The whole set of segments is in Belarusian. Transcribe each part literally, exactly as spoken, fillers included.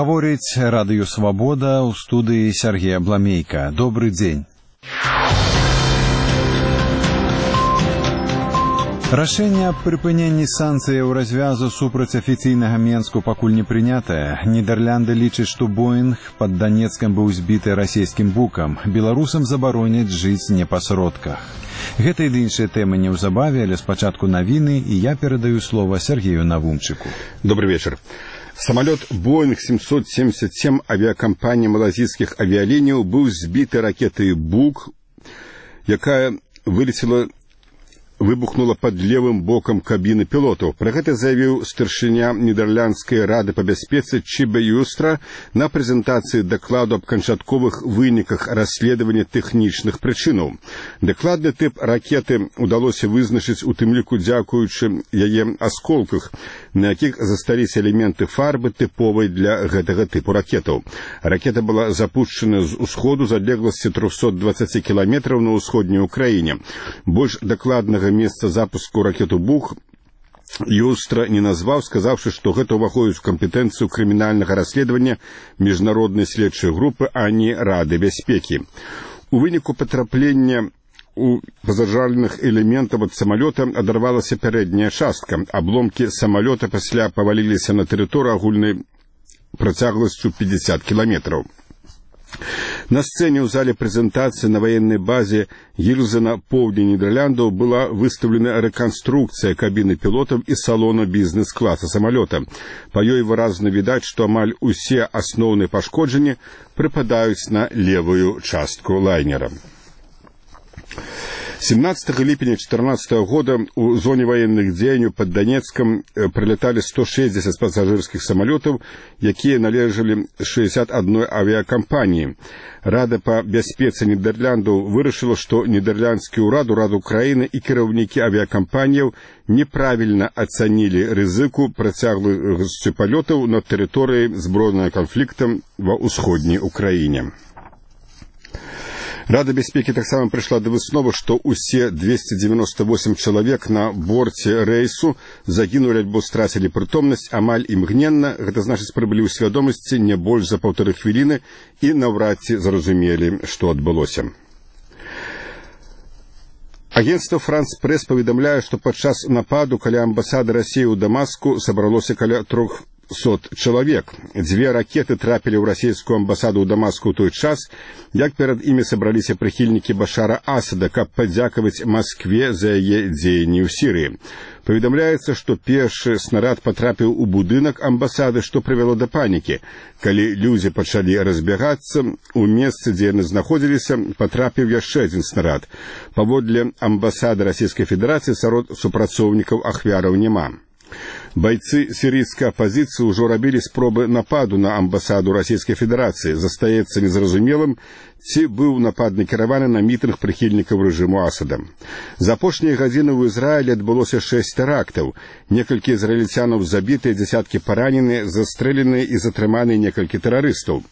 Гаворыць радыё «Свабода» ў студыі Сергея Бламейка. Добры дзень. Рашэнне аб прыпыненні санкцыяў развязу супраць афіцыйнага Менску пакуль не прынятае. Нідерланды лічаць, што Боінг пад Данецкам быў збіты расійскім букам. Беларусам забароняць жыць не па сродках. Гэта і іншыя тэмы неўзабаве, але спачатку навіны, і я перадаю слова Сергею Навумчыку. Добрый вечер. Самолет Боинг семьсот семьдесят семь авиакомпании малазийских авиалиний был сбиты ракетой «Бук», якая вылетела, выбухнула под левым боком кабины пилотов. Про это заявил старшыня Нидерландской рады по бяспецы Чибе Юстра на презентации докладу об канчатковых выніках расследования технічных причинаў. Докладный тип ракеты удалось вызначыць у тым ліку дзякуючы яе асколках, на якіх засталіся элементы фарбы тыповай для гэтага типу ракетаў. Ракета была запущена з усходу з адлегласці триста двадцать километров на ўсходняй Украине. Больш докладнага месца запуску ракету «Бук» Юстра не назваў, сказаўшы, што гэта ўваходзіць у кампетэнцыю крымінальнага расследавання міжнароднай следчай групы, а не Рады бяспекі. У выніку патраплення у пазажальных элементаў ад самалёта адарвалася пярэдняя частка. Абломкі самалёта пасля паваліліся на тэрыторыю агульнай працягласцю пятьдесят километров. На сцене ў зале прэзентацыі на военной базе Гільзе на поўдні Нідерландаў была выставлена рэканструкцыя кабіны пілотаў і салона бізнес-класа самалёта. Па ёй выразна відаць, што амаль усе асноўныя пашкоджанні прыпадаюць на левую частку лайнера. семнадцатого ліпеня две тысячи четырнадцатого года у зоне военных дзеянняў под Донецком прилетали сто шестьдесят пассажирских самолетов, якія належали шестьдесят одной авиакомпании. Рада по бяспецы Нидерландаў вырашыла, што нідерландскі ўрад, урад Украины и кіраўнікі авиакомпаніяў неправильно оценили рызыку працягласці палётаў на тэрыторыі збройнага канфлікта ва ўсходняй Украине. Рада бяспекі таксама прыйшла да высновы, што ўсе двести девяносто восемь чалавек на борце рэйсу загінулі альбо страцілі прытомнасць амаль імгненна, гэта значыць прыбылі ў свядомасці не больш за паўтары хвіліны і наўрад ці зразумелі, што адбылося. Агентство «Франс Пресс» паведамляе, што падчас нападу каля амбасады Расіі ў Дамаску сабралося каля трохсот чалавек. Дзве ракеты трапілі ў расійскую амбасаду ў Дамаску ў той час, як перад імі сабраліся прыхільнікі Башара Асада, каб падзякаваць Маскве за яе дзеянні ў Сірыі. Паведамляецца, што першы снарад патрапіў у будынак амбасады, што прывяло да панікі. Калі людзі пачалі разбягацца, у месцы, дзе яны знаходзіліся, патрапіў яшчэ адзін снарад. Паводле амбасады Расійскай Федэрацыі сярод супрацоўнікаў ахвяраў няма. Бойцы сирийской оппозиции уже робили спробы нападу на амбасаду Российской Федерации. Застаецца незразумелым, ці быў напад накіраваны на мітынг прыхільнікаў рэжыму Асада. За апошнія гадзіны ў Ізраілі адбылося шэсць тэрактаў. Некалькі ізраільцянаў забітыя, дзясяткі параненыя, застрэленыя і затрыманыя некалькі тэрарыстаў.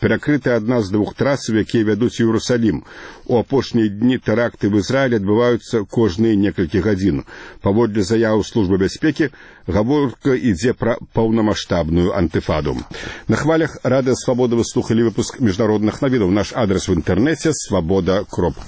Перакрыта адна з двух трасаў, якія вядуць у Іерусалім. У апошнія дні тэракты в Ізраілі адбываюцца кожныя некалькі гадзін. Паводле заявы службы бяспекі, гаворка ідзе пра паўнамаштабную антыфаду. На хвалях радыё «Свабода» вы слухалі выпуск міжнародных навінаў. Наш адрес в інтэрнэце свабода кропка